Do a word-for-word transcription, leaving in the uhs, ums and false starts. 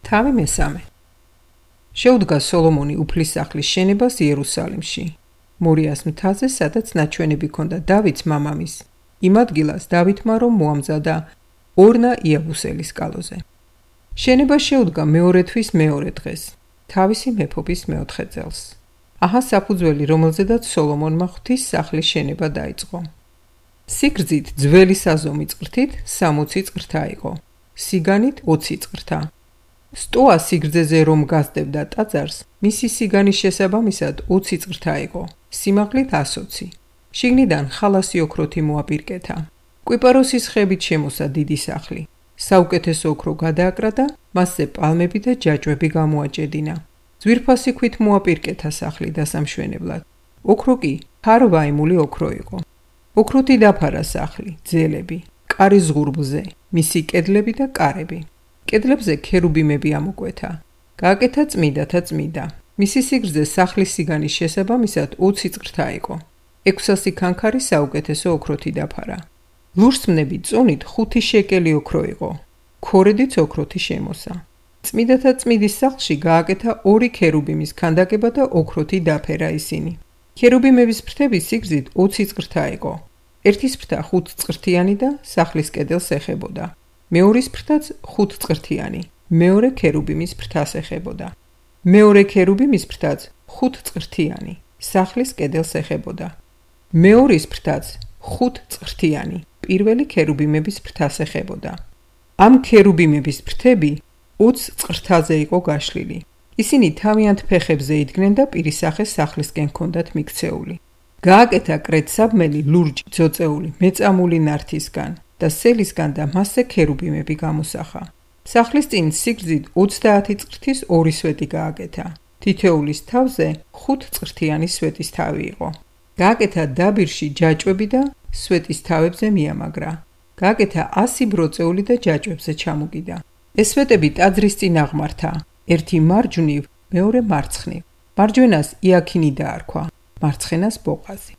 თავი მესამე. შეუდგა სოლომონი უფლის სახლის შენებას იერუსალიმში, მორიას მთაზე, სადაც ნაჩვენები ჰქონდა დავითს მამამის. იმ ადგილას დავითმა რომ მოამზადა ორნა იაბუსელის კალოზე. შენება შეუდგა მეორე თვის მეორე დღეს, თავისი მეფობის მეოთხე წელს. აჰა საფუძველი, რომელზედაც სოლომონმა ღვთის სახლის შენება დაიწყო. სიგრძით ძველი საზომი წყრთით სამოცი წყრთა იყო, სიგანით ოცი წყრთა. სტოა სიგრძეზე რომ გასდებდა ტაძარს, მისი სიგანის შესაბამისად ოცი წყრთა იყო, სიმაღლით ასოცი. შიგნიდან ხალასი ოქროთი მოაპირკეთა. კვიპაროსის ხებით შემოსა დიდი სახლი. საუკეთესო ოქრო გადააკრა და მასზე პალმები და ჯაჭვები გამოაჭედინა. ძვირფასი ქვით მოაპირკეთა სახლი დასამშვენებლად. ოქრო კი ქარვაიმული ოქრო იყო. ოქროთი დაფარა სახლი, ძელები, კარის ზღურბლზე, მისი კედლები და კარები. კედლებზე ქერუბიმები ამოკვეთა. გააკეთა წმიდათა წმიდა. მისი სიგრძე სახლის სიგანის შესაბამისად ოცი წყრთა იყო. ექვსასი ქანქარი საუკეთესო ოქროთი დაფარა. ლურსმნები წონით ხუთი შეკელი ოქრო იყო. ქორედიც ოქროთი შემოსა. წმიდათა წმიდის სახლში გააკეთა ორი ქერუბიმის ქანდაკება და ოქროთი დაფერა ისინი. ქერუბიმების ფრთები სიგრძით ოცი წყრთა იყო. ერთის ფრთა ხუთ წყრთიანი და სახლის კედელს ეხებოდა. მეორის ფრთაც ხუთ წყრთიანი, მეორე ქერუბიმის ფრთას ეხებოდა. მეორე ქერუბიმის ფრთაც ხუთ წყრთიანი, სახლის კედელს ეხებოდა. მეორის ფრთაც ხუთ წყრთიანი, პირველი ქერუბიმების ფრთას ეხებოდა. ამ ქერუბიმების ფრთები ოც წყრთაზე იყო გაშლილი. ისინი თავიანთ ფეხებზე იდგნენ და პირისახეს სახლისკენ ჰქონდათ მიქცეული. გააკეთა კრეცაბმელი ლურჯი ძოწეული მეწამული ნართისგან და სელისგან და მასზე ქერუბიმები გამოსახა. სახლის წინ სიგრძით ოცდაათი წყრთის ორი სვეტი გააკეთა. თითოეულის თავზე ხუთ წყრთიანი სვეტის თავი იყო. გააკეთა დაბირში ჯაჭვები და სვეტის თავებზე მიამაგრა. გააკეთა ასი ბროწეული და ჯაჭვებზე ჩამოგიდა. ეს სვეტები ტაძრის წინ აღმართა, ერთი მარჯვნივ, მეორე მარცხნივ. მარჯვენას იაქინი დაარქვა, მარცხენას ბოყაზი.